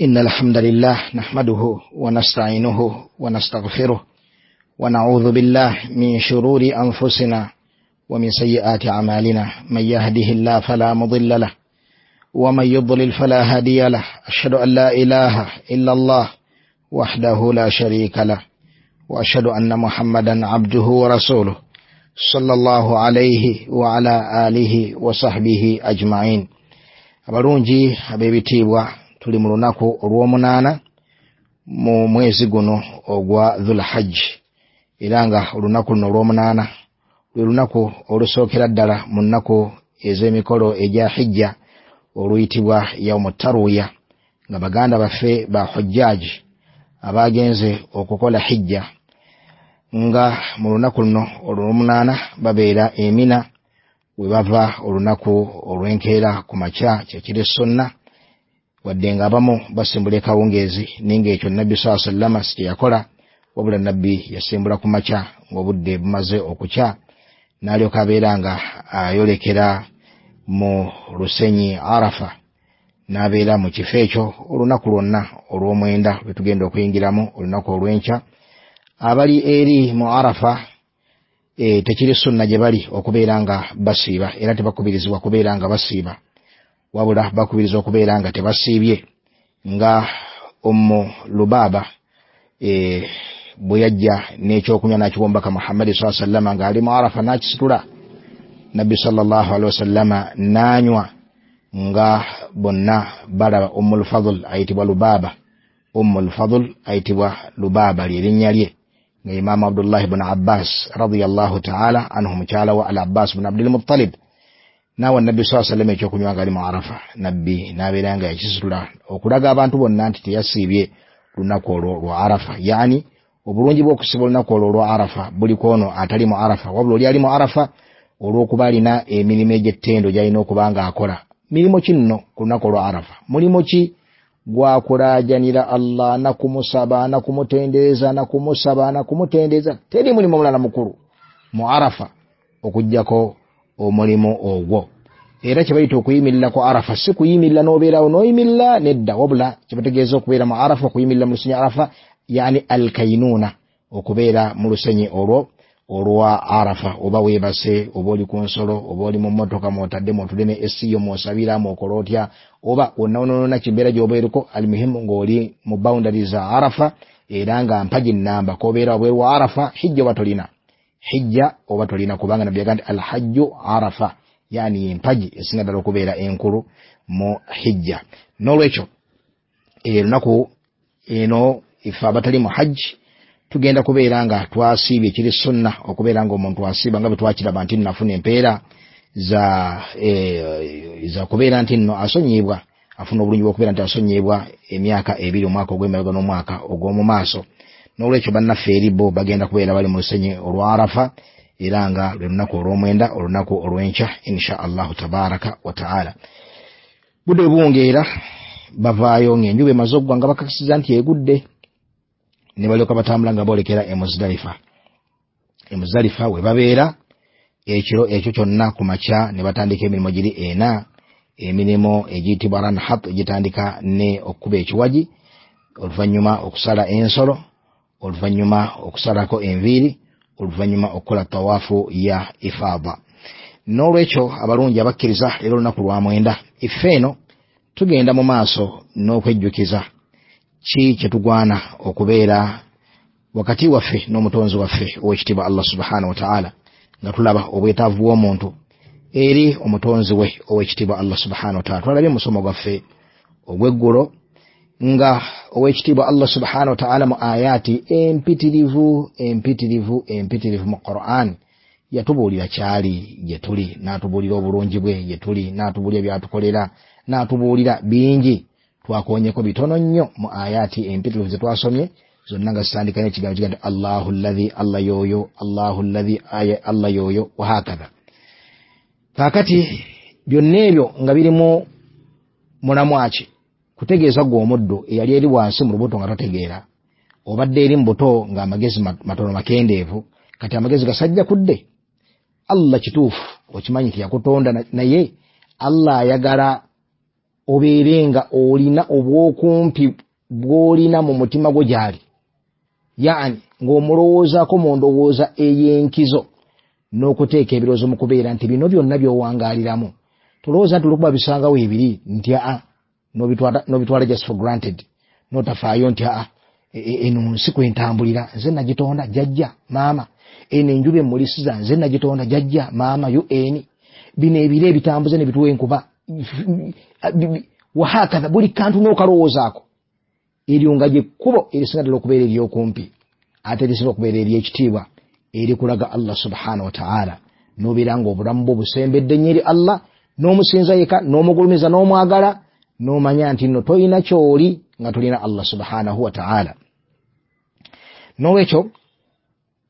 إن الحمد لله نحمده ونستعينه ونستغفره ونعوذ بالله من شرور أنفسنا ومن سيئات أعمالنا، من يهده الله فلا مضل له ومن يضلل فلا هادي له، أشهد أن لا إله إلا الله وحده لا شريك له، وأشهد أن محمدا عبده ورسوله صلى الله عليه وعلى آله وصحبه أجمعين. Abalungi ab'ebitiibwa, tuli mu lunaku olw'omunaana mu mwezi guno ogwa Dhulhajj, era nga olunaku luno olw'omunaana lwe lunaku olusookera ddala mu nnaku ez'emikolo egya hijja oluyitibwa yaumu taruya, nga baganda baffe ba hujjaaji abagenze okukola hijja nga mu lunaku luno olw'omunaana babeera Emina, we bava olunaku olw'enkeera ku makya kyekiri sunna, wadde nga abamu basimbula ekawungeezi, naye ng'ekyo Nabbi saa sallama si kye yakola, wabula Nabbi yasimbula ku makya ng'obudde bumaze okukya, n'alyoka abeera nga ayolekera mu lusenyi Arafa, n'abeera mu kifo ekyo olunaku lwonna olw'omwenda lwe tugenda okuyingiramu olunaku olw'enkya. Abali eri mu Arafa tekiri sunna gye bali okubeera nga basiiba, era tebakubirizibwa kubeera nga basiiba, wabula bakubirizibwa okubeera nga tebasiibye, nga Ummu Lubaaba bwe yajja n'ekyokunywa n'akiwa Omubaka Muhammadi saa sallama ng'ali mu Arafa n'akisitula, Nabbi sallallahu alaihi wasallama n'anywa nga bonna balaba. Ummul Fadl ayitibwa Lubaaba, Ummul Fadl ayitibwa Lubaaba lyerinnya lye, nga Imaamu Abdullahi bun Abbas radiyallahu taala anhu, mukyala wa Al Abbas bun Abdul Muttalib, naawa Nabbi saa sallama ekyokunywa ng'ali mu Arafa, Nabbi n'abeera nga yakisitula okulaga abantu bonna nti teyasiibye lunaku olwo lwa Arafa. Yani obulungi bw'okusiba olunaku olwo olwa Arafa buli kwono atali mu Arafa, wabula oli ali mu Arafa olw'okuba alina emirimu egy'ettendo gy'alina okuba ng'akola. Mirimu ki nno ku lunaku olwa Arafa? Mulimu ki gwakulaajanira Allah nakumusaba nakumutendereza nakumusaba nakumutendereza? Teri mulimu mulala mukulu mu Arafa okuggyako omulimu ogwo. Era kye bayita okuyimirira ku Arafa si kuyimirira n'obeerawo n'oyimirira, nedda, wabula kye bategeeza okubeera mu Arafa, okuyimirira mu lusenyi Arafa, yani alkainuuna, okubeera mu lusenyi olwo olwa Arafa, oba weebase, oba oli ku nsolo, oba oli mu mmotoka mw'otadde mw'otudde ne esiyo mw'osabira mw'okola otya, oba wonna wonna kimbeera gy'obeereko, alimuhimu ng'oli mu boundary za Arafa, era nga mpagi nnamba k'obeera wabweru wa Arafa, hijja oba tolina, hijja oba tolina, kubanga Nabbi yagamba nti alhajju Arafa, yani empagi esinga ddala okubeera enkulu mu hijja. N'olwekyo lunaku eno ife abatali mu hajji tugenda kubeera nga twasiibye, kiri sunna okubeera nga omuntu asiiba nga bwe twakiraba nti nafuna empeera za kubeera nti nno asonyiibwa, afuna obulungi bw'okubeera nti asonyiibwa emyaka ebiri, omwaka ogw'emabega n'omwaka ogw'omu maaso. N'olwekyo bannaffe eri bo bagenda kubeera bali mu lusenyi olwa Arafa, era nga lwe lunaku olw'omwenda, olunaku olw'enkya insha Allahu tabaraka wa taala. Budde buwungeera bavaayo ng'enjuba emaze okugwa nga bakakasiza nti egudde, ne balyoka batambula nga boolekera e Muzdalifa. E Muzdalifa we babeera ekiro ekyo kyonna ku makya ne batandika emirimu giri ena, emirimu egiyitibwa ranhat, egitandika ne okukuba ekiwagi, oluvannyuma okusala ensolo, oluvannyuma okusalako enviiri, oluvannyuma okukola tawaafu ya ifaada. N'olwekyo abalungi abakkiriza, leero olunaku lwa mwenda, ife eno tugenda mu maaso n'okwejjukiza ki kye tugwana okubeera wakati waffe n'omutonzi waffe ow'ekitiibwa Allah subhanahu wa ta'ala, nga tulaba obwetaavu bw'omuntu eri omutonzi we ow'ekitiibwa Allah subhanahu wa ta'ala. Twalabye musomo gwaffe ogw'eggulo nga ow'ekitiibwa Allah subhanahu wa ta'ala mu ayaati empitirivu empitirivu empitirivu mu Qur'an yatubuulira kyali gye tuli, n'atubuulira obulungi bwe gye tuli, n'atubuulira by'atukolera, n'atubuulira bingi. Twakonyeko bitono nnyo mu ayaati empitirivu ze twasomye zonna nga zitandika n'ekigambo kiga nti Allahu alladhi, Allah yoyo, Allahu alladhi, aya Allah yoyo, wahakadha. Kaakati byonna ebyo nga birimu mulamwa ki? Kutegeeza gwe omuddu eyali eri wansi mu lubuto nga totegeera, obadde eri mu buto ng'amagezi matono makendeevu, kati amagezi gasajja kudde. Allah kituufu okimanyi nti yakutonda, naye Allah ayagala Obeere nga olina obwokumpi bw'olina mu mutima gwo gy'ali, yaani ng'omulowoozaako mu ndowooza ey'enkizo n'okuteeka ebirowoozo mu kubeera nti bino byonna by'owangaaliramu tolowooza nti olwokuba bisangawo ebiri nti aa n'obitwala just for granted, n'otafaayo nti aa eno nsi kwentambulira nze nagitonda jjajja maama, eno enjuba emmulisiza nze nagitonda jjajja maama, un bino ebiro ebitambuze ne bituwa enkuba wahakatha, buli kantu n'okalowoozaako. Eryo nga gyekkubo erisinga ddala okubeera ery'okumpi ate erisinga okubeera ery'ekitiibwa erikulaga Allah subhanahu wa ta'ala, n'obeera nga obulamu bwo busembedde nnyo eri Allah, n'omusinza yekka n'omugulumiza n'omwagala, n'omanya nti nno tolina ky'oli nga tolina Allah subhanahu wa ta'ala. N'olwekyo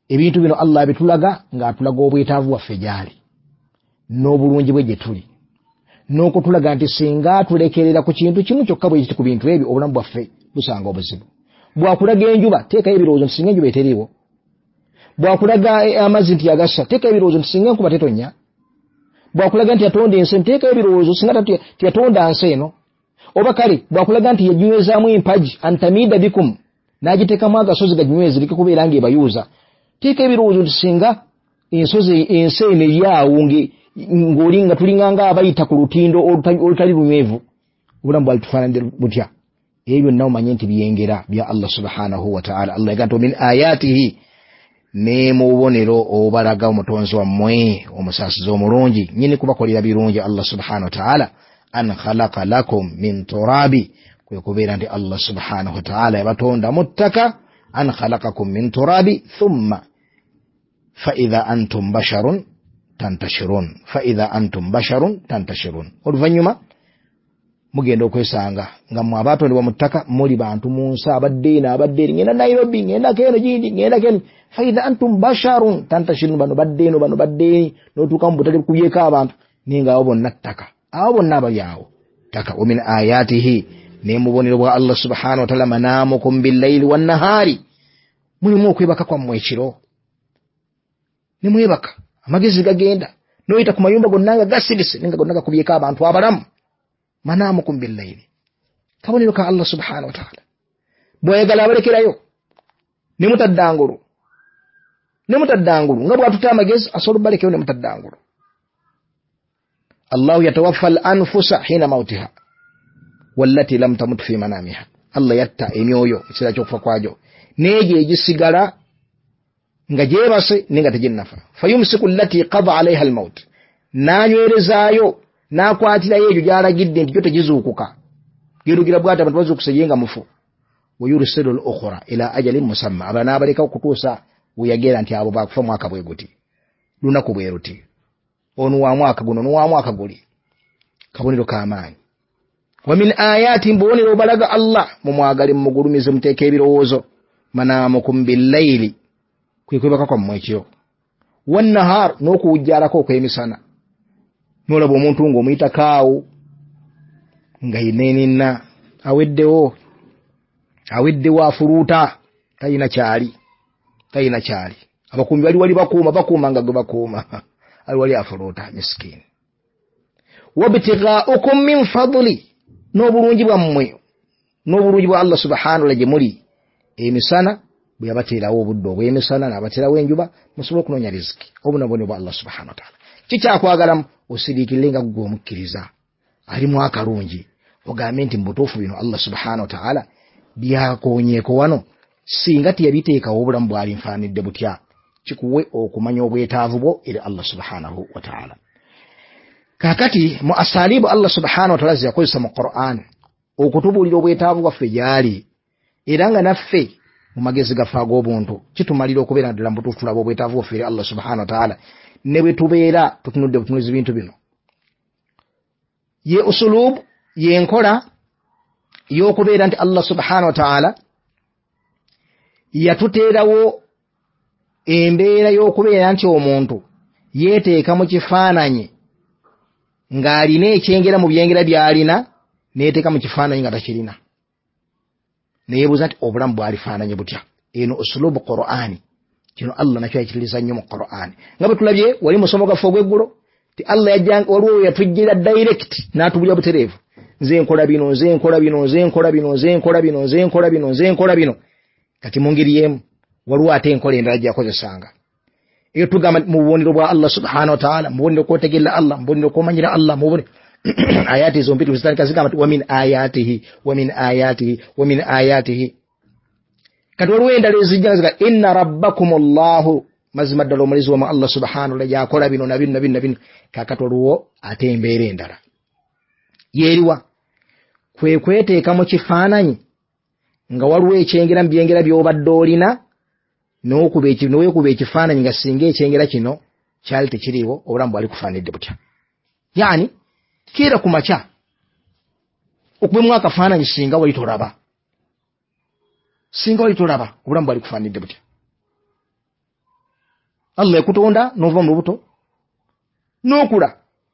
ebintu bino Allah abitulaga ng'atulaga obwetaavu bwaffe gy'ali n'obulungi bwe gye tuli, n'okutulaga nti singa atulekerera ku kintu kimu kyokka bwe kiti ku bintu ebyo obulamu bwaffe busanga obuzibu. Bw'akulaga enjuba teekayo ebirowoozo nti singa enjuba eteriiwo, bw'akulaga amazzi nti yagassa teekayo ebirowoozo nti singa enkuba tetonnya, bw'akulaga nti yatonda ensi teekayo ebirowoozo singa teyatonda nsi eno, oba kale bw'akulaga nti yaginywezaamu empagi antamida bikum n'agiteekamu agasozi gaginyweze leke kubeera ng'ebayuuza, teeka ebirowoozo nti singa ensozi ensi eno eryawo ng'oli nga tulinga ng'abayita ku lutindo olutali lunywevu, obulamu bwali tufaananidde butya? Ebyo byonna omanye nti byengera bya Allah subhanahu wa ta'ala. Allah yagamba nti min ayatihi, ne mu bubonero obubalaga omutonzi wammwe omusaasizi omulungi nnyini kubakolera birungi Allah subhanahu wa ta'ala, an khalaqa lakum min turabi, kwe kubeera nti Allah subhanahu wa ta'ala yabatonda mu ttaka, an khalaqakum min turabi thumma fa idha antum basharun tantashirun, fa idha antum basharun tantashirun. Oluvannyuma mugenda okwesanga nga mmwe abaatondebwa mu ttaka muli bantu mu nsi, abadde eno abadde eri, ngenda Nairobi, ngenda keno gindi, ngenda keno, fa idha antum basharun tantashirun, bano badde eno bano badde eri, n'otuuka mu butale bukubyeko abantu naye nga abo bonna ttaka, abo bonna abali awo ttaka. Wa min ayatihi, ne mu bubonero bwa Allah subhanahu wa ta'ala, manaamukum billayli wannahaari, mulimu okwebaka kwammwe ekiro ne mwebaka, amagezi gagenda n'oyita ku mayumba gonna nga gasirise naye nga gonna gakubyeko abantu abalamu. Manaamukum billayli, kabonero ka Allah subhanahu wa ta'ala. Bw'ayagala abalekerayo ne mutaddangulu, ne mutaddangulu nga bw'atuta amagezi asobola obbalekayo ne mutaddangulu. Allahu yatawaffa al-anfusa hina mautiha wallati lam tamut fi manamiha, Allah yatta emyoyo mu kiseera ky'okufa kwagyo n'egyo egisigala nga gyebase naye nga teginnafa. Fayumsiku allati qada alaiha almaut, n'anywerezaayo n'akwatirayo egyo gy'alagidde nti gyo tegizuukuka, gerugira bw'ati abantu bazuukuse ye nga mufu. Wayursilu al-ukhra ila ajalin musamma, aba n'abaleka okutuusa we yagera nti abo baakufa mwaka bwe guti, lunaku bwe luti, ono wa mwaka guno, ono wa mwaka guli. Kabonero k'amaanyi. Wa min ayati, mbubonero obalaga Allah mumwagale mumugulumize muteeke ebirowoozo, manaamukum billayli, kwe kwebaka kwammwe ekiro, wannahar, n'okuwujjaalako okw'emisana. N'olaba omuntu ng'omuyitako awo nga yeneenena aweddewo, aweddewo afuluuta, talina kyali, talina kyali. Abakuumi bali wali bakuuma, bakuuma nga gwe bakuuma, ali wali afuluuta miskiini. Wabtighaukum min fadli, n'obulungi bwammwe n'obulungi bwa Allah subhanahu wa ta'ala gye muli emisana, bwe yabateerawo obudde obw'emisana n'abateerawo enjuba musobole okunoonya riziki, obunabone bwa Allah subhanahu wa ta'ala. Kikyakwagalamu osiriikirire nga ggwe omukkiriza alimu akalungi, ogambe nti mu butuufu bino Allah subhanahu wa ta'ala byakoonyeeko wano, singa teyabiteekawo obulamu bwali nfaanidde butya. Kikuwe okumanya obwetaavu bwo eri Allah subhanahu wa ta'ala. Kaakati mu asalibu Allah subhanahu wa ta'ala ze yakozesa mu Qur'an okutubuulira obwetaavu bwaffe gy'ali, era nga naffe mu magezi gaffe ag'obuntu kitumalira okubeera ddala mu butuufu tulaba obwetaavu bwaffe eri Allah subhanahu wa ta'ala, ne bwe tubeera tutunudde butunuzi bintu bino. Ye usulubu, ye nkola y'okubeera nti Allah subhanahu wa ta'ala yatuteerawo embeera y'okubeera nti omuntu yeeteeka mu kifaananyi ng'alina ekyengera mu byengera by'alina, neyeteeka mu kifaananyi nga takirina, neyeebuuza nti obulamu bwalifaananye butya. Eno usulubu Qur'ani, kino Allah nakyo yakitiriza nnyo mu Qur'ani, nga bwe tulabye wali musomo gwaffe ogw'eggulo ti Allah yajja waliwo yatujjira direct n'atubulya butereevu, Nze nkola bino, nze nkola bino, nze nkola bino, nze nkola bino, nze nkola bino, nze nkola bino. Kati mu ngeri y'emu waliwo ate enkola endala gyakozesanga. Eyo tugamba mu bubonero bwa Allah subhanahu wa ta'ala, mu bubonero kwotegerera Allah, mu bubonero kwomanyira Allah, mu bubonero ayati zombi zitandika zigamba nti wa min ayatihi, wa min ayatihi, wa min ayatihi. Kati waliwo endala ezijja ziga inna rabbakum Allahu, mazima ddala omulezi wammwe Allah subhanahu wa ta'ala yakola bino na bino na bino na bino. Kaakati waliwo ate embeera endala yeeriwa kwe kweteeka mu kifaananyi nga waliwo ekyengera mu byengera by'obadde olina, n'okuba ekifaananyi nga singa ekyengera kino kyali tekiriiwo obulamu bwali kufaananidde butya. Yaani keera ku makya okubemu akafaananyi singa wali tolaba, singa wali tolaba obulamu bwali kufaananidde butya. Allah ekutonda n'ova mu lubuto n'okula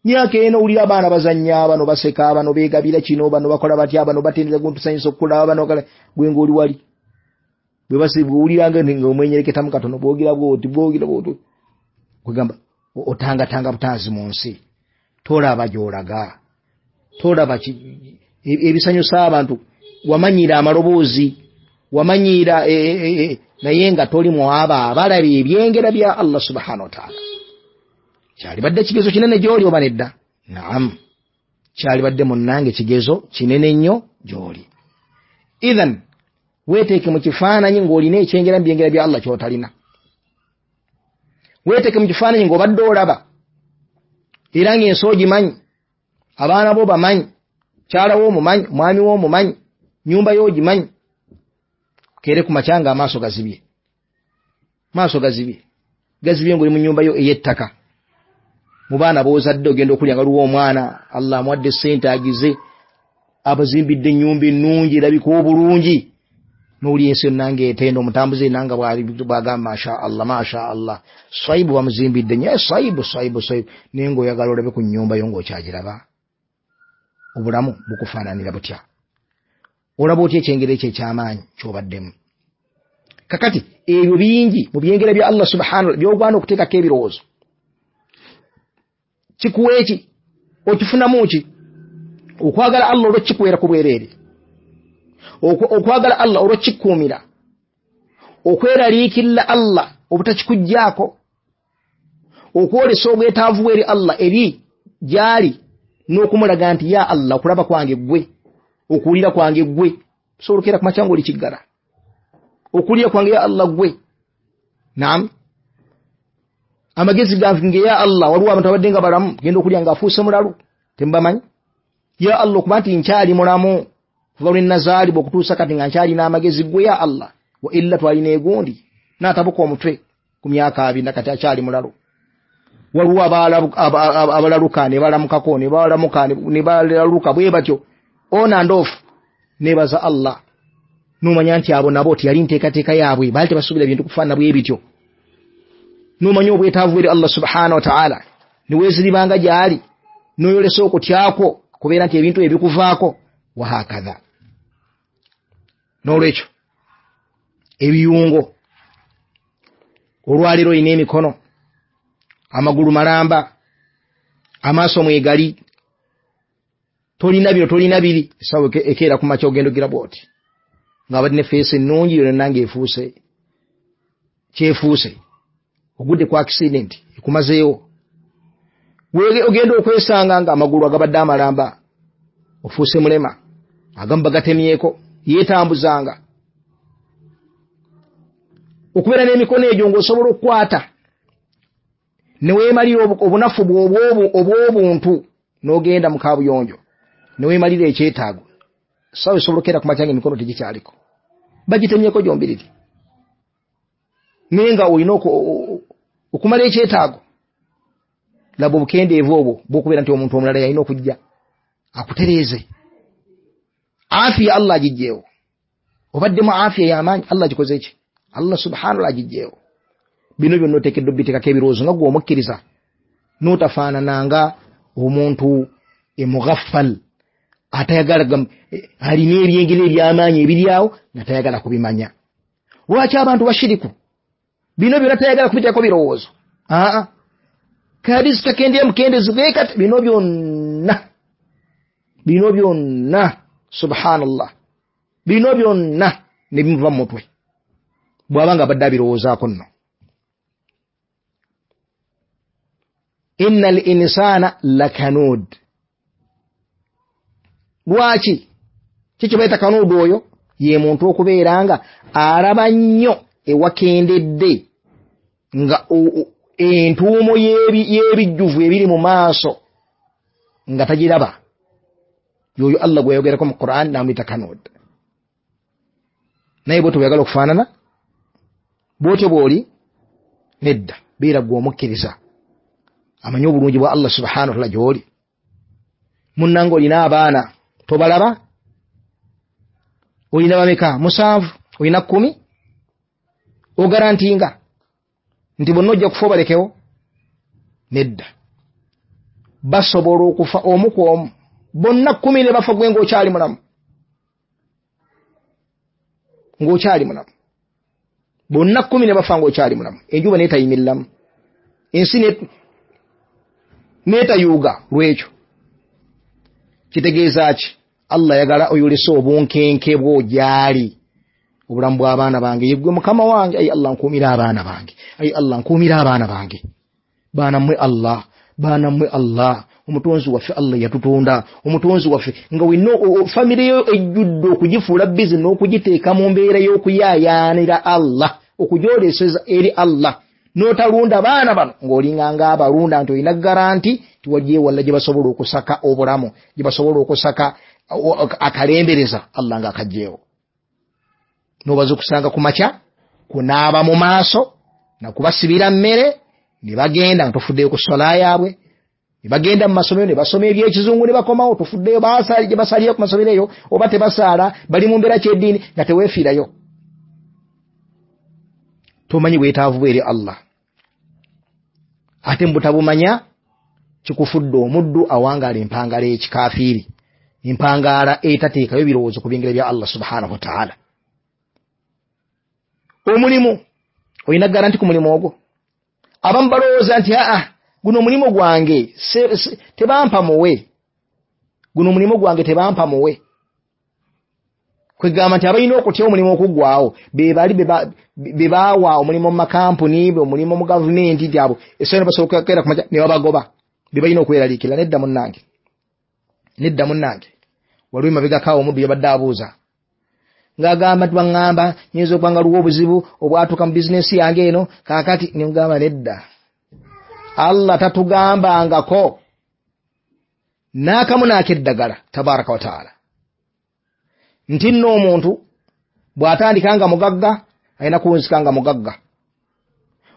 myaka eno, owulira abaana bazannya, bano baseka, bano beegabira kino, bano bakola batya, bano batendera guntusanyusa okukulaba, bano gwe ng'oli wali bwewuliranga nga omwenyereketamu katono, bwogira bwoti bwogira bwoti, kwegamba otangatanga butanzi mu nsi, tolaba gy'olaga, tolaba ebisanyusa abantu, wamanyiira amaloboozi, wamanyiira naye nga toli mu abo abalaba ebyengera bya Allah subhanahu wa ta'ala. Kyalibadde kigezo kinene gy'oli oba nedda? Naam, kyalibadde munnange kigezo kinene nnyo gy'oli. Ithan weeteeke mu kifaananyi ng'olina ekyengera mu byengera bya Allah ky'otalina. Weeteeke mu kifaananyi ng'obadde olaba era ng'ensi ogimanyi, abaana bo bamanyi, mukyala wo omumanyi, mwami wo omumanyi, nnyumba yo ogimanyi. Keere ku makya nga amaaso gazibye, maaso gazibye, gazibye ng'oli mu nnyumba yo ey'ettaka. Mu baana b'ozadde ogenda okulya nga waliwo omwana Allah amuwadde ssente agize, abazimbidde ennyumba ennungi erabika obulungi, n'owulira ensi yonna ng'etenda, omutambuze yenna nga bw'agamba masha Allah, masha Allah, swayibu bamuzimbidde nnyo, swayibu swayibu swayibu, naye ng'oyagala olabe ku nnyumba yo ng'okyagiraba. Obulamu bukufaananira butya? Olaba otya ekyengera ekyo eky'amaanyi ky'obaddemu? Kakati ebyo bingi mu byengera bya Allah subhanahu wa ta'ala by'ogwana okuteekako ebirowoozo. Kikuwa eki? Okifunamu ki? Okwagala Allah olw'okikuweera ku bwereere, okwagala Allah olw'okikuumira, okweraliikirira Allah obutakikuggyaako, okwolesa obwetaavu eri Allah eri gy'ali, n'okumulaga nti ya Allah okulaba kwange ggwe, okuwulira kwange ggwe, osobola okeera ku makya ng'oli kiggala, okuwulira kwange ya Allah ggwe. Naam, amagezi gange ya Allah. Waliwo abantu abadde nga balamu, genda okulya ng'afuuse mulalu, temubamanyi. Ya Allah okuba nti nkyali mulamu kuva lwe nazaalibwa okutuusa kati nga nkyalina amagezi ggwe ya Allah, wa illa twalina egundi n'atabuka omutwe ku myaka 20 kati akyali mulalu. Waliwo abalaluka ne balamukako ne balamuka ne balaluka bwe batyo on and off. Nebaza Allah n'omanya nti abo nabo teyali nteekateeka yaabwe, baali tebasuubira bintu kufaanana bwe bityo. N'omanya obwetaavu eri Allah subhanahu wa ta'ala, ne weeziribanga gy'ali, n'oyolesa okutyako kubeera nti ebintu ebikuvaako wahakadha. N'olwekyo ebiyungo, olwaleero olina emikono, amagulu malamba, amaaso mwegali, tolina bino tolina biri. Essaawa ekeera ku makya ogenda ogira bw'oti ng'abadde ne feesi ennungi yonna ng'efuuse kyefuuse, ogudde ku accident ekumazeewo. Ogenda okwesanga nga amagulu agabadde amalamba ofuuse mulema, agamu bagatemyeko, yeetambuzanga. Okubeera n'emikono egyo ng'osobola okukwata ne weemalira obunafu obw'obuntu, n'ogenda mu kaabuyonjo ne weemalira ekyetaago. Essaawa esobola okeera ku makya ng'emikono tegikyaliko, bagitemyeko gyombiriri, naye nga olina okumala ekyetaago. Laba obukendeevu obwo bw'okubeera nti omuntu omulala yalina okujja akutereeze. Afiya Allah agigyewo, obaddemu afiya y'amaanyi, Allah agikoze ki? Allah subhanahu wa ta'ala agigyewo. Bino byonna oteekeddwa obitekako ebirowoozo nga ggwe omukkiriza, n'otafaanananga omuntu emughaffal atayagala, alina ebyengera eby'amaanyi ebiri awo nga tayagala kubimanya. Lwaki abantu bashiriku bino byonna tayagala kubitekako birowoozo? Aa, kadisi kakendera mukendezi bwekati, bino byonna Bino byonna, subhanallah, bino byonna ne bimuva mu mutwe bw'aba nga abadde abirowoozaako nno. Inna al insana lakanud. Lwaki kiki bayita kanuud? Oyo ye muntu okubeera nga alaba nnyo ewakendedde, nga entuumo y'ebijjuvu ebiri mu maaso nga tagiraba. Yoyo Allah gwe yayogerako mu Quran n'amuyita kanud. Naye bwotyo bweyagala okufaanana, bwotyo bw'oli nedda. Beera gwe omukkiriza amanyi obulungi bwa Allah subhanahu wa taala gy'oli. Munnange, olina abaana tobalaba? Olina bameka? 7, olina 10. Ogarantinga nti bonna ojja kufa obalekewo? Nedda. Basobola okufa omu ku omu, bonna 10 ne bafa gwe ng'okyali mulamu, ng'okyali mulamu. Bonna 10 ne bafa ng'okyali mulamu, enjuba n'etayimiriramu, ensi n'etayuuga. Lwekyo kitegeeza ki? Allah ayagala oyolese obunkenke bwo gy'ali. Obulamu bw'abaana bange, yeggwe mukama wange. Ayi Allah, nkuumira abaana bange. Ayi Allah, nkuumira abaana bange. Baana mmwe Allah, baana mmwe Allah, omutonzi waffe Allah yatutonda, omutonzi waffe. Nga wenna famire yo ejjudde okugifuula bizi n'okugiteeka mu mbeera y'okuyaayaanira Allah, okugyoleseza eri Allah, n'otalunda baana bano ng'olinganga abalunda nti olina garanti tiwajje walla gye basobola okusaka obulamu, gye basobola okusaka akalembereza Allah ng'akagyewo. N'obaza okusanga ku makya kunaaba mu maaso nakubasibira mmere ne bagenda nga tofuddeyo ku sola yaabwe, ne bagenda mu masomero ne basoma ebyekizungu ne bakomawo, tofuddeyo basaali gye basalira ku masomero eyo oba tebasaala, bali mu mbeera kyeddiini, nga teweefiirayo. Tomanyi bwetaavu bwe eri Allah, ate mubutabumanya kikufudde omuddu awangaala empangaala ekikafiiri, empangaala etateekayo birowoozo ku byengera bya Allah subhanahu wataala. Omulimu, olina garanti ku mulimu ogwo? Abamu balowooza nti aa, guno omulimu gwange tebampa muwe, guno omulimu gwange tebampa muwe. Kwegamba nti abalina okutya omulimu okuggwawo be bali be baawa omulimu mu makampuni, omulimu mu gavumenti, nti abo essaawa basobola okukeera ku makya ne babagoba, be balina okweraliikirira. Nedda munnange, nedda munnange. Waliwo emabegako omuddu yabadde abuuza ng'agamba nti baŋŋamba nyinza okuba nga luwa obuzibu obwatuuka mu bizinensi yange eno kaakati. Ne mugamba nedda, Allah tatugambangako n'akamu n'akeddagala tabaraka wataala nti nno omuntu bw'atandika nga mugagga alina kuwunzika nga mugagga,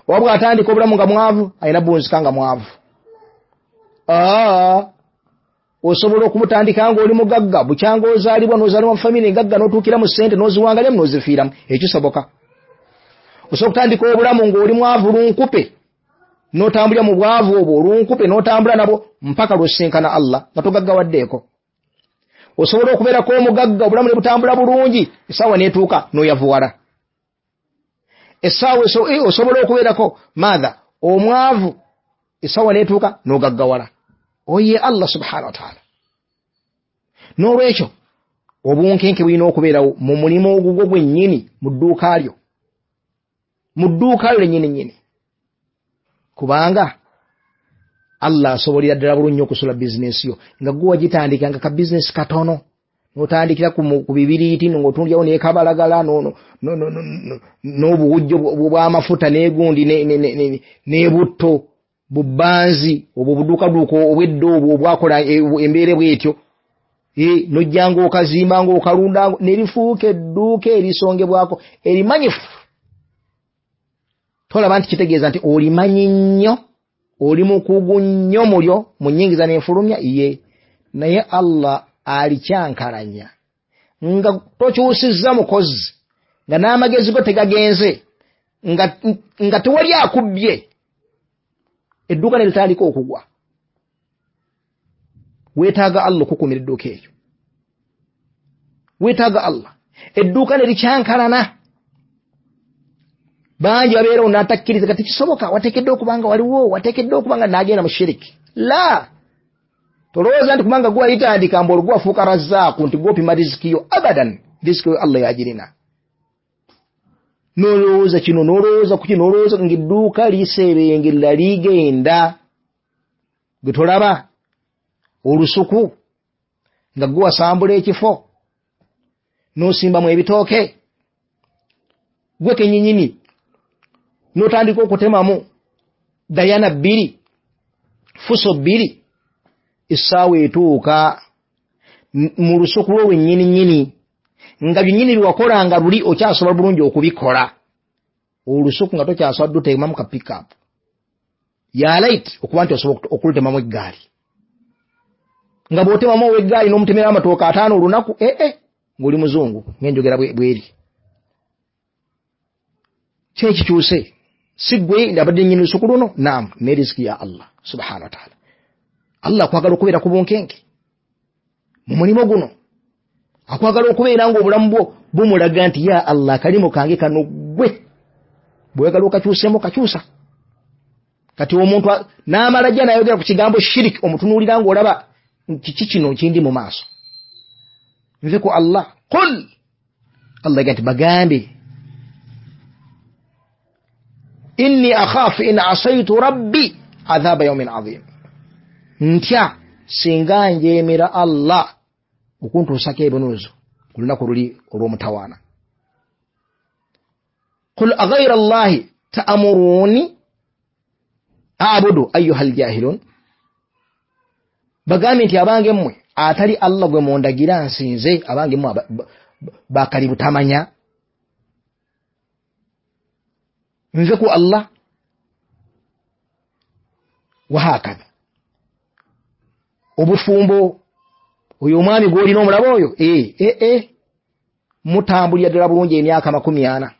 oba bw'atandika obulamu nga mwavu alina buwunzika nga mwavu. Aa, osobola okumutandika ng'oli mugagga, bukyanga ozaalibwa n'ozaalibwa mu famire engagga, n'otuukira mu ssente n'oziwangalyamu n'ozifiiramu, ekisoboka. Osobola okutandika obulamu ng'oli mwavu lunkupe, n'otambulira mu bwavu obwo olunkupe, n'otambula nabwo mpaka lw'osisinkana Allah nga togaggawaddeeko. Osobola okubeerako omugagga, obulamu ne butambula bulungi, essaawa n'etuuka n'oyavuwala. Essaawa osobola okubeerako maatha omwavu, essaawa n'etuuka n'ogaggawala. Oye Allah subhanahu wataala. N'olwekyo obunkenke bulina okubeerawo mu mulimu ogugwo gwennyini, mu dduuka lyo, mu dduuka lyo lennyini nnyini, kubanga Allah asobolera ddala bulungi okusula bizinesi yo nga gwe wagitandika nga ka bizinesi katono, n'otandikira ku bibiriiti ng'otundyawo n'ekabalagala n'obuwujjo bw'amafuta n'egundi n'ebutto bubanzi obwo obuduukaduuka obwedda obwo obwakola embeera bwetyo, nojja ng'okazimba ng'okalunda ne lifuuka edduuka erisongebwako erimanyifu. Tolaba nti kitegeeza nti olimanyi nnyo, oli mukugu nnyo mulyo mu nnyingiza n'enfulumya ye. Naye Allah alikyankalanya nga tokyusizza mukozi, nga n'amagezi go tegagenze, nga tewali akubbye, edduuka ne litandika okugwa. Weetaaga Allah okukuumira edduuka eryo, weetaaga Allah. Edduuka ne likyankalana, bangi babeerawo n'atakkiriza kati kisoboka, wateekeddwa okuba nga waliwo, wateekeddwa okuba nga n'agenda mu shiriki. La, Tolowooza nti kubanga gwe walitandika mbu olwo gwafuuka razaaku nti gwopima riziki yo. Abadan, riziki yo Allah yagirina. Nolowooza kino, nolowooza ku kino, nolowooza ng'edduuka liseebengerera ligenda. Gwe tolaba olusuku nga gwe wasambula ekifo n'osimbamu ebitooke, gwe kennyinnyini n'otandika okutemamu dayana 2, fuso 2. Essaawa etuuka mu lusuku lwo lwennyini nga byennyini byewakolanga luli okyasobola bulungi okubikola. Olusuku nga tokyasobola dutemamu ka pickup ya light okuba nti osobola okulutemamu eggaali, nga bw'otemamu ow'eggaali n'omutemera amatooke 5 olunaku, ng'oli muzungu ng'enjogera bweri. Kyekikyuse si gwe abadde nnyini lusuku luno. Naam, ne riziki ya Allah subhanahu wa ta'ala. Allah akwagala okubeera ku bunkenke mu mulimu guno, akwagala okubeera ng'obulamu bwo bumulaga nti ya Allah akalimu kange kano gwe bw'oyagala okakyusemu kakyusa. Kati omuntu n'amala jja n'ayogera ku kigambo shiriki, omutunuulira ng'olaba kiki kino kindi mu maaso. Nve ku Allah. Qul, Allah yaga nti bagambe inni akhafu in asaitu rabbi adhaba yawmin adhim, ntya singa njeemera Allah okuntuusako ebinuuzo ku lunaku luli olw'omutawaana. Qul aghayra Allahi ta'muruni a'budu ayyuha aljahilun, bagambe nti abange mmwe atali Allah gwe mundagira nsinze, abange mmwe bakali butamanya, nve ku Allah. Wahakadha obufumbo, oyo omwami gw'olina omulaba oyo mutambulira ddala bulungi emyaka 40,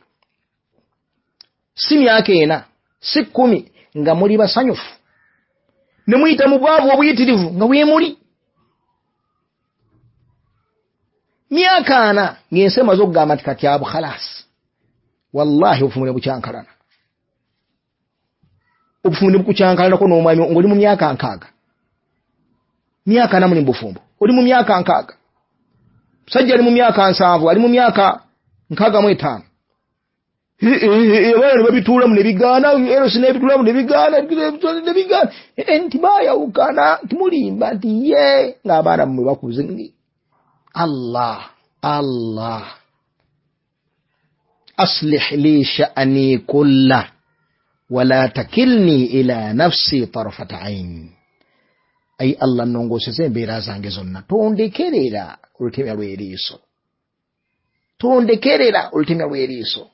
si myaka 4, si 10, nga muli basanyufu ne muyita mu bwavu obuyitirivu nga weemuli. Myaka 4 ng'ensi emaze okugamba nti kati abo khalasi. Wallahi obufumbo ne bukyankalana, obufumbo ne bukukyankalanako n'omwami ng'oli mu myaka 60, myaka 4 muli mu bufumbo, oli mu myaka 60, musajja ali mu myaka 70, ali mu myaka 65. Abaana ne babituulamu ne bigaana, erosi n'ebituulamu ne bigaana, ne bigaana, nti baayawukana, nti mulimba, nti ye ng'abaana mmwe bakuze. Allah, Allah, aslih li sha'ni kulla wala takilni ila nafsi tarfata ain. Ayi Allah, nnongooseze embeera zange zonna, tondekerera olutemya lw'eriiso, tondekerera olutemya lw'eriiso.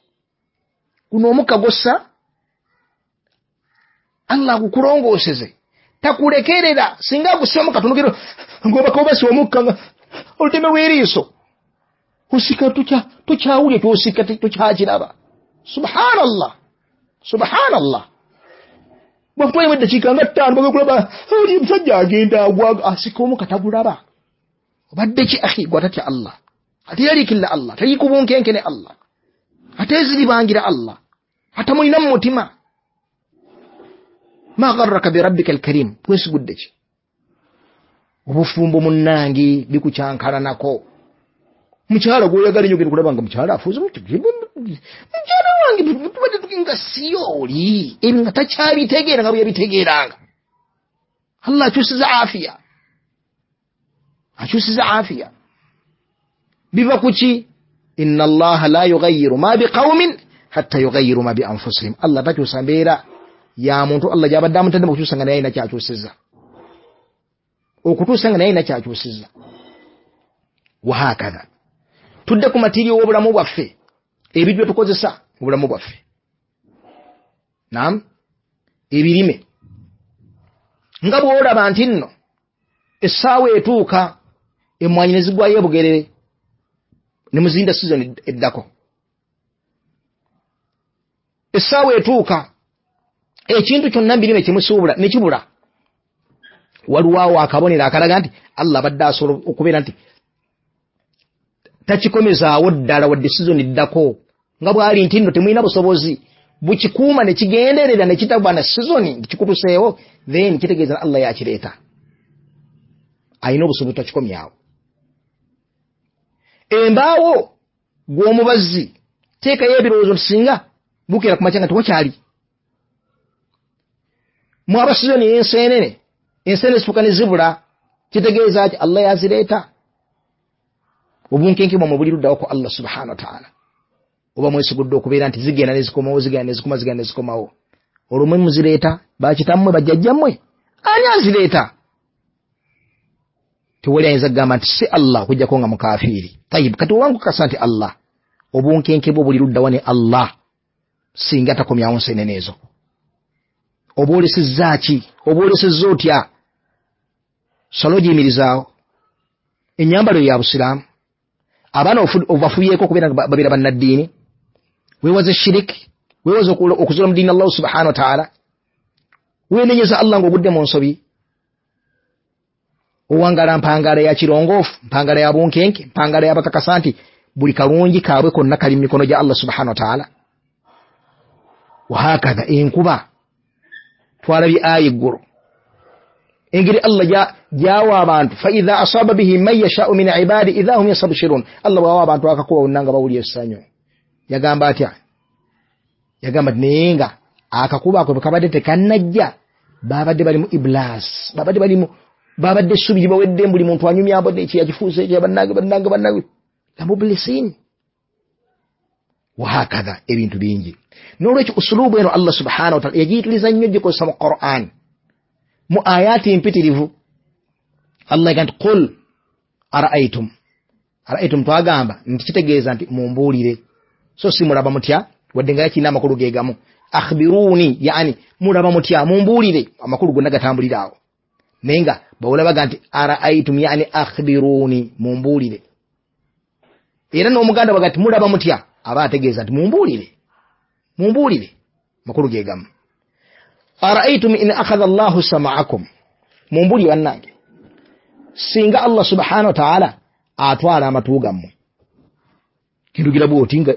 Guno omukka gwossa Allah agukulongooseze, takulekerera. Singa agussemu katono kero ng'obaka obasi omukka nga olutemya lw'eriiso osika tokyawulya kyosika tokyakiraba. Subhanallah, subhanallah. Bwakutwalemu eddakiika nga 5 bagenda kulaba oli omusajja agenda agwa, asika omukka tagulaba. Obadde ki akhi gwe atatya Allah, ateyaliikirira Allah, tali ku bunkenke ne Allah, ateeziribangira Allah, atamulina mu mutima. Ma gharraka bi rabbika alkarim, wesigudde ki? Obufumbo munnange bikukyankalanako. Mukyala gw'oyagala ennyo ogenda kulaba nga mukyala afuuze, mukyala wange tubadde nga si oli, ebyo nga takyabitegeera nga bwe yabitegeeranga. Allah akyusiza afiya, akyusiza afiya. Biva ku ki? Inna Allaha la yughayyiru ma biqawmin hatta yughayyiru ma bi anfusihim. Allah takyusa mbeera ya muntu Allah gy'abadde amutadde mu kukyusa nga naye alina ky'akyusizza, okutuusa nga naye alina ky'akyusizza. Wahakadha tudde ku matiriyo w'obulamu bwaffe, ebintu bye tukozesa mu bulamu bwaffe. Naam, ebirime nga bw'olaba nti nno essaawa etuuka emmwanyi ne zigwayo ebugerere ne muzinda sizoni eddako. Essaawa etuuka ekintu kyonna mbirime kyemusuubula ne kibula. Waliwo awo akabonero akalaga nti Allah abadde asobola okubeera nti takikomezaawo ddala wadde sizoni eddako, nga bw'ali nti nno temulina busobozi bukikuuma ne kigenderera ne kitaba na sizoni nti kikutuseewo, then kitegeeza Allah yakireeta. Alina obusobozi takikomyawo. Embaawo gw'omubazzi teekayo ebirowoozo nti singa bukeera ku makya nga tewakyali. Mwaba sizoni y'enseenene, enseenene zifuuka ne zibula, kitegeeza ki? Allah yazireeta. Obunkenke bwammwe buli luddawo ku Allah subhanahu wa ta'ala. Oba mwesigudde okubeera nti zigenda ne zikomawo, zigenda ne zikoma, zigenda ne zikomawo. Olwo mwe muzireeta, bakitammwe, bajjajjammwe, ani azireeta? Tewali ayinza kugamba nti si Allah okuggyako nga mukafiiri. Tayib, kati oba nkukakasa nti Allah, obunkenke bwo buli luddawa ne Allah singa takomyawo nseenene ezo. Oba olesezza ki? Oba olesezza otya? Sala ogiyimirizaawo. Ennyambalo ya busiraamu. Abaana obafubyeko okubeera nga babeera bannaddiini. Weewaze shiriki, weewaze okuzuula mu ddiini Allah subhanahu wa ta'ala. Weenenyeza Allah ng'ogudde mu nsobi. Owangala mpangala ya kirongoofu, mpangala ya bunkenke, mpangala y'abakakasa nti buli kalungi kaabwe konna kali mu mikono gya Allah subhanahu wa ta'ala. Wahakadha enkuba twalabye aya eggulo, engeri Allah gyawa abantu, fa idha asaba bihi man yashau min ibadi idha hum yastabshirun. Allah bw'awa abantu akakuba bonna nga bawulira essanyu. Yagamba atya? Yagamba nti naye nga akakuba ako bwe kabadde tekannajja, babadde bali mu iblas, babadde bali mu babadde essubi libawedde, buli muntu anyumya mbadde ekiyakifuuse ekya bannange bannange bannange lamublisin. Wahakadha ebintu bingi. N'olwekyo usulubu eno Allah subhanahu wa ta'ala yagiyitiriza nnyo gikozesa mu Qur'an mu ayati mpitirivu. Allah yagamba nti qul ara'aytum. Ara'aytum twagamba nti kitegeeza nti mumbuulire, so si mulaba mutya, wadde nga yakirina amakulu ge gamu. Akhbiruni, yani mulaba mutya, mumbuulire, amakulu gonna gatambulira awo. Naye nga bawulabaga nti ara'aytum, yani akhbiruni, mumbuulire. Era n'omuganda baga nti mulaba mutya, aba ategeeza nti mumbuulire, mumbuulire, makulu ge gamu. Ara'aytum in akhadha Allahu sam'akum, mumbuulire bannange, singa Allah subhanahu wa ta'ala atwala amatu gammwe. Kindugira bw'oti nga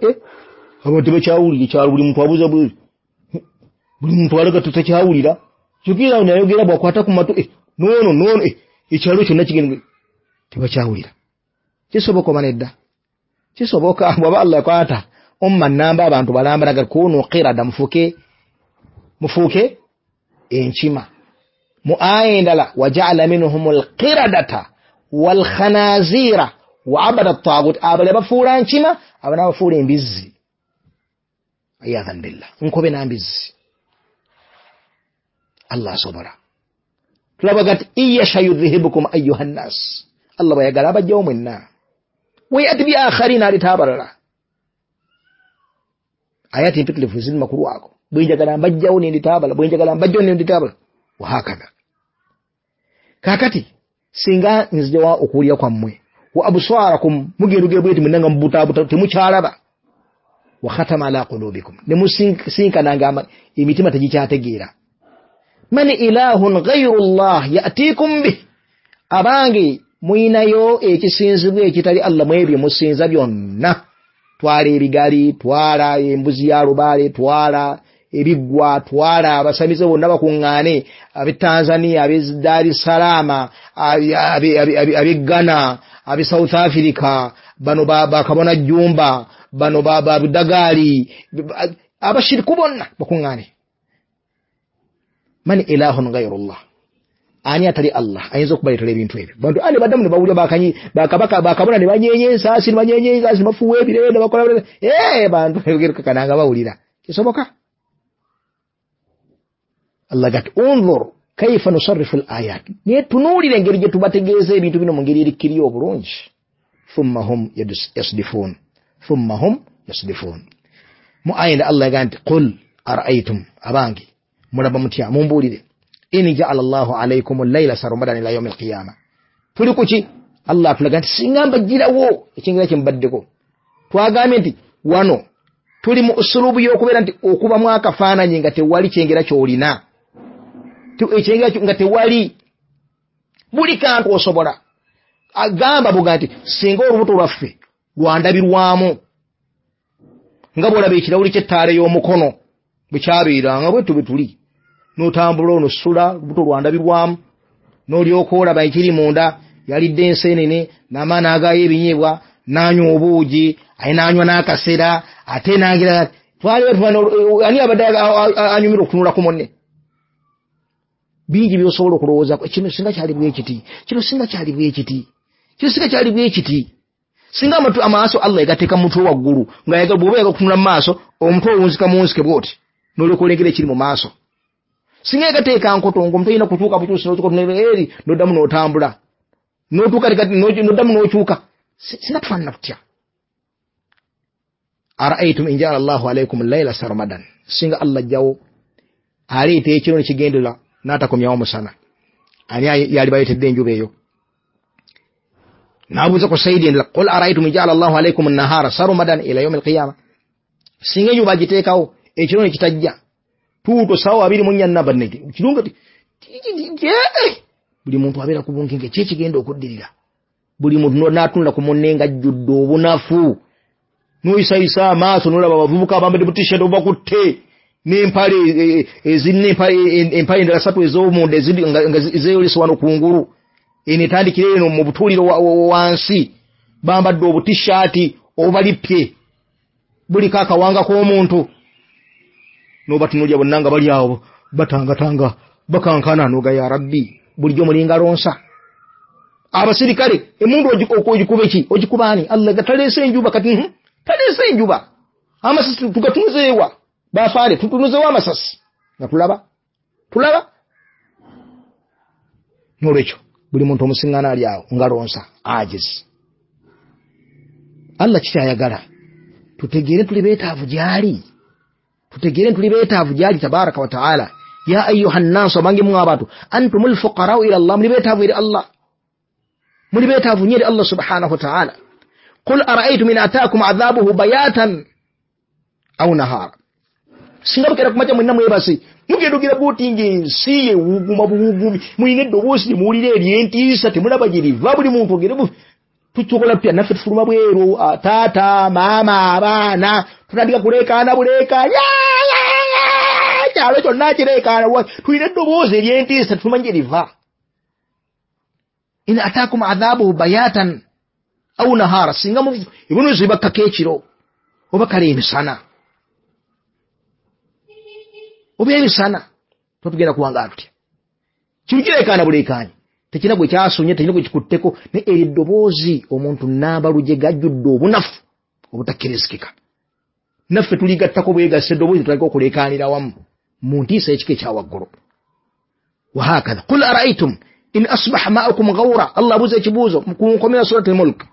abantu tebakyawulira, ekyalo buli muntu abuuza buli muntu alaga tutakyawulira, kyokka nayogera bw'akwata ku matu noono noono ekyalo kyonna kigenda tebakyawulira. Kisoboka oba nedda? Kisoboka. Bw'aba Allah yakwata umma nnamba abantu balamba naga kunu qirada, mufuuke mufuuke enkima. Mu aya endala waja'ala minhumul qiradata wal khanazira wa abada at-taghut, abale bafuula nkima, abana bafuula embizzi. Ayadhan billah, nkobe na mbizzi. Allah asobola. Tulabaga nti iyasha yudhihibukum ayyuha nnas, Allah bw'ayagala abajjawo mwenna, wayati bi akharina, aleeta abalala. Ayati mpitirivu ziri makulu ago, bwenjagala mbajjawo nendita abalala, bwenjagala mbajjawo nendita abalala. Wahakadha. Kaakati singa nzijawa okuwulira kwammwe, wa absarakum, mugendugire bweti mwenna nga mubutaabuta temukyalaba, wa khatama ala qulubikum, ne musinkananga emitima tegikyategeera. Man ilahun ghayru Allah ya'tikum bih, abange muyinayo ekisinzibwa ekitali Allah mwebyo musinza byonna. Twala ebigali, twala embuzi ya lubaale, twala ebiggwa, twala abasamize bonna bakuŋŋaane, ab'e Tanzania, ab'e Dar es Salaam, ab'e Ghana, ab'e South Africa, bano bakabona Jumba, bano babudagaali, abashiriku bonna bakuŋŋaane. Man ilahun ghayru Allah, ani atali Allah ayinza okubaleetera ebintu ebyo? Bantu ani baddamu ne bawulira bakabaka bakabona ne banyeenya ensaasi, ne banyeenya ensaasi, ne bafuuwa ebire, ne bakola bantu kakananga bawulira. Kisoboka? Allah gati unzur kaifa nusarrifu al-ayat, naye tunuulire engeri gye tubategeeza ebintu bino mu ngeri erikkiriyo obulungi. Thumma hum yasdifun, thumma hum yasdifun. Mu aya Allah yagamba nti qul ara'aytum, abange mulaba mutya, mumbuulire, in ja'ala Allahu alaykum al-layla sarmadan ila yawm al-qiyamah. Tuli kuki? Allah atulaga nti singa mbagirawo ekyengera kye mubaddeko. Twagambye nti wano tuli mu usulubu y'okubeera nti okubamu akafaananyi nga tewali kyengera ky'olina, ekyengera nga tewali, buli kantu osobola. Agamba buga nti singa olubuto lwaffe lwandabirwamu nga bw'olaba ekirawuli ky'ettaala y'omukono bwe kyabeeranga bwe tube tuli, n'otambula ono sula, olubuto lwandabirwamu, n'olyoka olaba ekiri munda. Yalidde ensenene n'amaana agayo ebinyeebwa, n'anywa obuugi, aye n'anywa n'akasera, ate n'agira twaliwo ani abadde anyumirwa okutunula ku munne. Bingi by'osobola okulowoozaako, kino singa kyali bwe kiti, kino singa kyali bwe kiti, kino singa kyali bwe kiti. Singa amaaso Allah yagateeka mu mutwe waggulu, nga bw'oba yaga okutunula mu maaso, omutwe owunzika muwunzike bw'oti, n'olyoka olengera ekiri mu maaso. Singa yagateeka nkoto, ng'omuntu olina kutuuka butuusi n'otuuka eri, n'oddamu n'otambula, n'otuuka n'oddamu n'okyuka. Singa tufaanana tutya? Araaitum in jaala Allahu alaikum llaila sarmadan, singa Allah ajjawo aleeta ekiro nekigendera n'atakomyawo musana, ani yali baleetedde enjuba eyo? N'abuuza ku saidi endala, qul araaitum in jaala Allahu alaikum nahara sarmadan ila yaumi alqiyama, singa enjuba agiteekawo ekiro nekitajja tuuto sawa 24 namba nege kirunga buli muntu abeera ku bunkenke, ki ekigenda okuddirira? Buli muntu n'atunula ku munne ng'ajjudde obunafu, n'oyisayisa amaaso n'olaba abavubuka abambadde butishat obubakutte n'empale ezirina empale endala satu ez'omunda nga zeeyolesa wano kungulu, eno etandikira eno mu butuuliro wansi, bambadde obutishaati obubalippye buliko akawanga k'omuntu, n'obatunulya bonna nga bali awo batangatanga bakankana, n'oga ya Rabbi, bulijjo mulinga lonsa. Abasirikale emundu ogikuba ki? Ogikuba ani? Allah taleese enjuba kati, taleese enjuba, amasasi tugatunuzeewa? Bafaale tutunuzeewo amasasi nga tulaba tulaba. N'olwekyo buli muntu omusiŋŋaana ali awo nga lonsa ajizi. Allah kikyayagala tutegeere tuli beetaavu gy'ali, tutegeere tuli beetaavu gy'ali tabaraka wa taala. Ya ayuha nnaasu, abange mmwe abantu, antumu lfuqarau ila Allah, muli beetaavu eri Allah, muli beetaavu nnyo eri Allah subhanahu wa taala. Qul araaitum in ataakum adhabuhu bayatan au nahara, singa bukeera kumakya mwenna mwebase, mugenda ogira bwoti ng'ensi ewuguma buwugumi, mulina eddoboozi lye muwulira ery'entiisa, temulaba gye liva, buli muntu ogere tutukola tutya? Naffe tufuluma bweru, taata, maama, abaana, tutandika kuleekaana buleekaanya, kyalo kyonna kireekaana, tulina eddoboozi ery'entiisa, tetumanyi gye liva. In ataakum adhabuhu bayatan au nahara, singa ebibonerezo bibakkako ekiro oba kale emisana, oba emisana, tuba tugenda kuwangaala tutya? Kino kireekaana buleekaanyi, tekirina gwe kyasunye, tekirina gwe kikutteko, naye eryo eddoboozi omuntu nambalugye gajjudde obunafu obutakkirizikika, naffe tuligattako bwegasse eddoboozi tutandika okuleekaanira wamu mu ntiisa ekika ekyawaggulu. Wahakatha qul araaitum in asbaha maukum ghaura, Allah abuuza ekibuuzo ku nkomera Surat al-Mulk,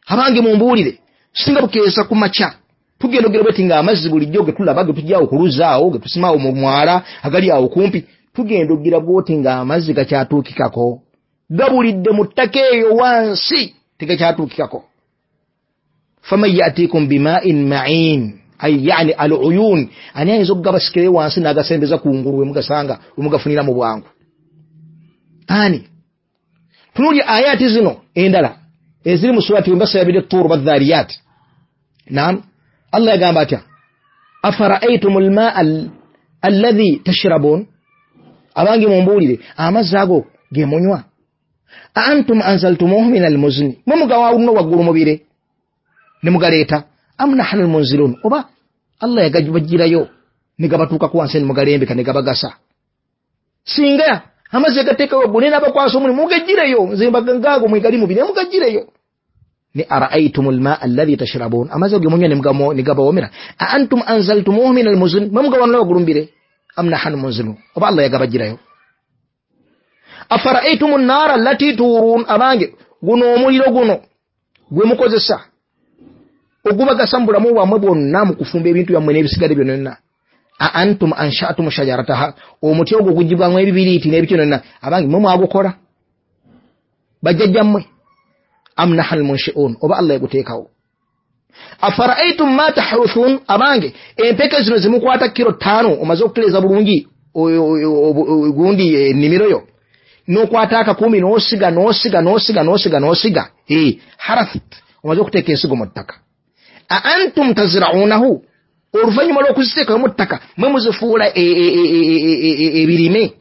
abange mumbuulire, singa bukeesa ku makya tugenda ogera bweti ng'amazzi bulijjo ge tulaba ge tujja okuluzaawo ge tusimaawo mu mwala agali awo kumpi, tugenda ogira bwoti ng'amazzi gakyatuukikako, gabulidde mu ttaka eyo wansi tegakyatuukikako. Faman yatikum bimain ma'in, ay yani al uyun, ani ayinza okugabasikirayo wansi n'agasembeza ku ngulu wemugasanga wemugafunira mu bwangu? Ani? Tunuulya ayati zino endala eziri mu surati wembasayabidde Tuur badhariyat. Naam, Allah yagamba atya? Afara'aytum almaa alladhi tashrabun, abange mumbuulire amazzi ago ge munywa, a antum anzaltumuhu min almuzni, mwe mugawawuno waggulu mubire ne mugaleeta, am nahnu almunzilun, oba Allah yagabajjirayo ne gabatuukako wansi ne mugalembeka ne gabagasa. Singa amazzi agateeka waggulu naye n'abakwasa omulimu mugajjireyo, nze ngaago mwegali mubire mugajjireyo. Ni araaitum almaa alladhi tashrabun, amazzi ge munywa ne gabawomera, a antum anzaltumuhu min almuzni, mwe mugawanula waggulu mubire, am nahnu munzilun, oba Allah yagabajjirayo. Afara'aytum an-nara allati turun, abange guno omuliro guno gwe mukozesa ogubagasa mu bulamu bwammwe bwonna mu kufumba ebintu byammwe n'ebisigadde byonna, a antum ansha'tum shajarataha, omuti ogwo gugibwamu ebibiriiti n'ebiki byonna, abange mwe mwagukola bajjajjammwe, am nahnu almunshi'un, oba Allah yaguteekawo. Afara'aytum ma tahruthun, abange empeke zino zimukwata kilo 5 omaze okutereeza bulungi gundi ennimiro yo, n'okwata akakumi n'osiga n'osiga n'osiga n'osiga n'osiga, harath, omaze okuteeka ensigo mu ttaka, a antum tazra'unahu, oluvannyuma lw'okuziteekayo mu ttaka mwe muzifuula ebirime,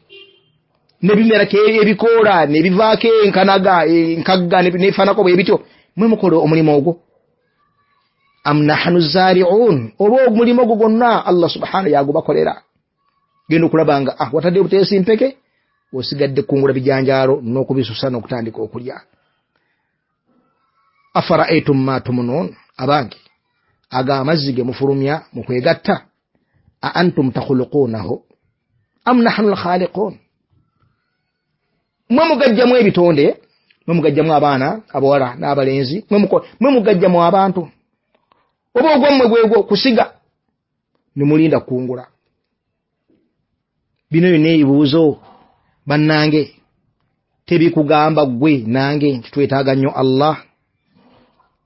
Nebimerako ebikoola, nebivaako enkanaga, enkagga, nebifaanako bwe bityo. Mwe mukola omulimu ogwo? Am nahnu zari'un, oba omulimu ogwo gwonna Allah subhanahu yagubakolera. Genda okulaba nga watadde obuteesi mpeke, osigadde kungula bijanjaalo n'okubisusa n'okutandika okulya. Afara'aytum ma tumunun, abange aga amazzi ge mufulumya mu kwegatta, a antum takhuluqunahu am nahnu alkhaliqun. Mwe mugajjamu ebitonde, mwe mugajjamu abaana abawala n'abalenzi, mwe mugajjamu abantu, oba ogwammwe gwegwo kusiga ne mulinda kungula. Bino byonna ebibuuzo bannange tebikugamba ggwe nange nti twetaaga nnyo Allah,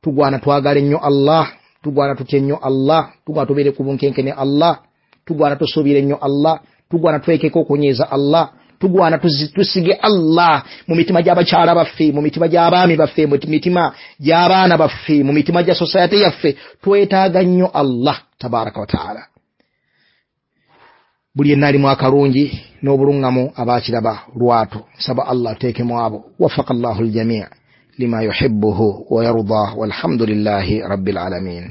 tugwana twagale nnyo Allah, tugwana tutye nnyo Allah, tugwana tubeere ku bunkenke ne Allah, tugwana tusuubire nnyo Allah, tugwana twekeko okunyiiza Allah, tugwana tusige Allah mu mitima gy'abakyala baffe, mu mitima gy'abaami baffe, mu mitima gy'abaana baffe, mu mitima gya society yaffe. Twetaaga nnyo Allah tabaraka wa taala. Buli yenna alimu akalungi n'obulungamu abaakiraba lwatu. Nsaba Allah ateekemu abo. Wafaka Allahu aljamii lima yuhibbuhu wa yardah, walhamdulillahi rabbil alamin.